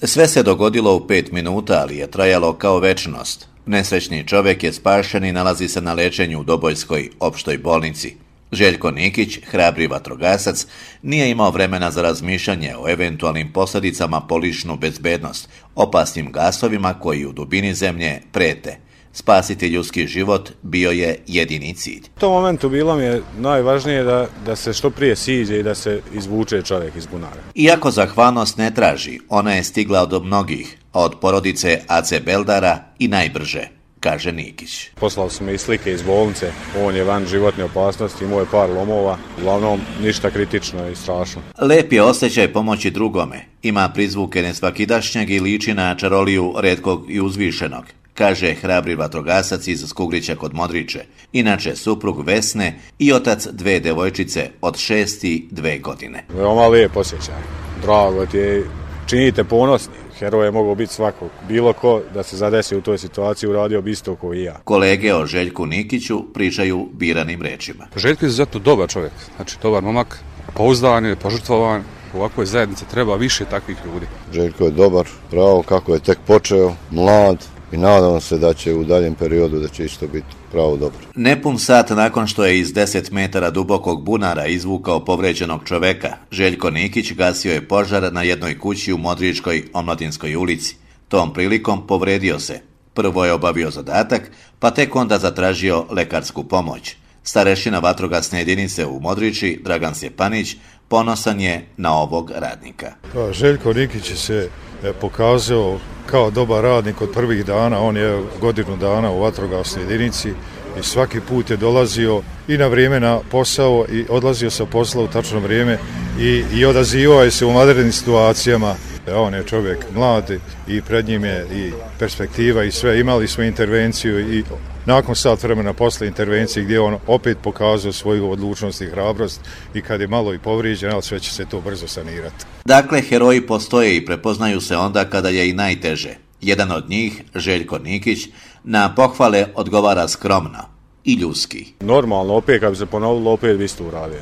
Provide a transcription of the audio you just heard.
Sve se dogodilo u 5 minuta, ali je trajalo kao večnost. Nesrećni čovjek je spašen i nalazi se na liječenju u Dobojskoj opštoj bolnici. Željko Nikić, hrabri vatrogasac, nije imao vremena za razmišljanje o eventualnim posljedicama po ličnu bezbednost, opasnim gasovima koji u dubini zemlje prete. Spasiti ljudski život bio je jedini cilj. U tom momentu bilo mi je najvažnije da se što prije siđe i da se izvuče čovjek iz bunara. Iako zahvalnost ne traži, ona je stigla od mnogih, a od porodice Ace Beldara i najbrže, kaže Nikić. Poslali su me i slike iz bolnice, on je van životne opasnosti, imao je par lomova, uglavnom ništa kritično i strašno. Lep je osjećaj pomoći drugome, ima prizvuke nesvakidašnjeg i liči na čaroliju retkog i uzvišenog, kaže hrabri vatrogasac iz Skugrića kod Modriče, inače suprug Vesne i otac 2 devojčice od 6 i 2 godine. Veoma lijep osjećaj, drago ti je, činite ponosni. Heroj je mogao biti svakog. Bilo ko da se zadesi u toj situaciji uradio bi isto kao i ja. Kolege o Željku Nikiću pričaju biranim rečima. Željko je zato dobar čovjek, znači dobar momak, pouzdan je, požrtvovan. U ovakvoj zajednici treba više takvih ljudi. Željko je dobar, pravo kako je tek počeo, mlad i nadam se da će u daljem periodu da će isto biti pravo dobro. Nepun sat nakon što je iz 10 metara dubokog bunara izvukao povređenog čoveka, Željko Nikić gasio je požar na jednoj kući u Modričkoj Omladinskoj ulici. Tom prilikom povredio se. Prvo je obavio zadatak, pa tek onda zatražio lekarsku pomoć. Starešina vatrogasne jedinice u Modriči, Dragan Sjepanić, ponosan je na ovog radnika. Željko Nikić se pokazao kao dobar radnik od prvih dana, on je godinu dana u vatrogasnoj jedinici i svaki put je dolazio i na vrijeme na posao i odlazio sa posla u tačno vrijeme i odazivao je se u vanrednim situacijama. On je čovjek mlad i pred njim je i perspektiva i sve. Imali smo intervenciju i nakon sat vremena posle intervencije gdje on opet pokazao svoju odlučnost i hrabrost i kad je malo i povrijeđen, ali sve će se to brzo sanirati. Dakle, heroji postoje i prepoznaju se onda kada je i najteže. Jedan od njih, Željko Nikić, na pohvale odgovara skromno i ljudski. Normalno, opet kad bi se ponovilo, opet bi isto uradio.